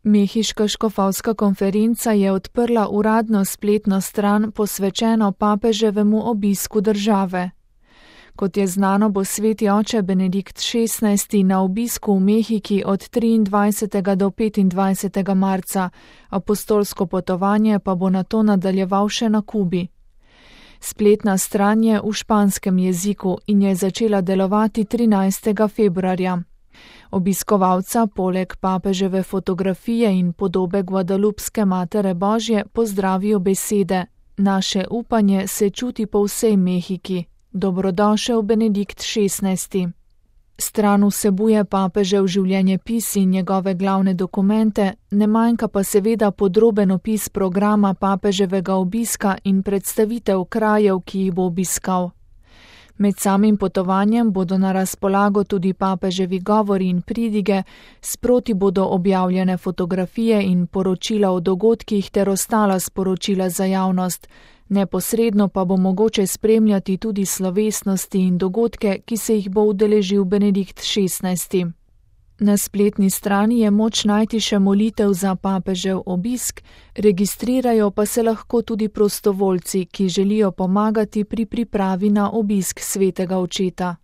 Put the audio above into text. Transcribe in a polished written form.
Mehiška škofovska konferenca je odprla uradno spletno stran posvečeno papeževemu obisku države. Kot je znano, bo sveti oče Benedikt XVI na obisku v Mehiki od 23. do 25. marca, apostolsko potovanje pa bo nato nadaljeval še na Kubi. Spletna stran je v španskem jeziku in je začela delovati 13. februarja. Obiskovalca poleg papeževe fotografije in podobe Guadalupske Matere Božje pozdravijo besede: Naše upanje se čuti po vsej Mehiki. Dobrodošel Benedikt XVI. Stran vsebuje papežev življenjepis in njegove glavne dokumente, ne manjka pa seveda podroben opis programa papeževega obiska in predstavitev krajev, ki jih bo obiskal. Med samim potovanjem bodo na razpolago tudi papeževi govori in pridige, sproti bodo objavljene fotografije in poročila o dogodkih ter ostala sporočila za javnost, neposredno pa bo mogoče spremljati tudi slovesnosti in dogodke, ki se jih bo udeležil Benedikt XVI. Na spletni strani je moč najti še molitev za papežev obisk, registrirajo pa se lahko tudi prostovoljci, ki želijo pomagati pri pripravi na obisk svetega očeta.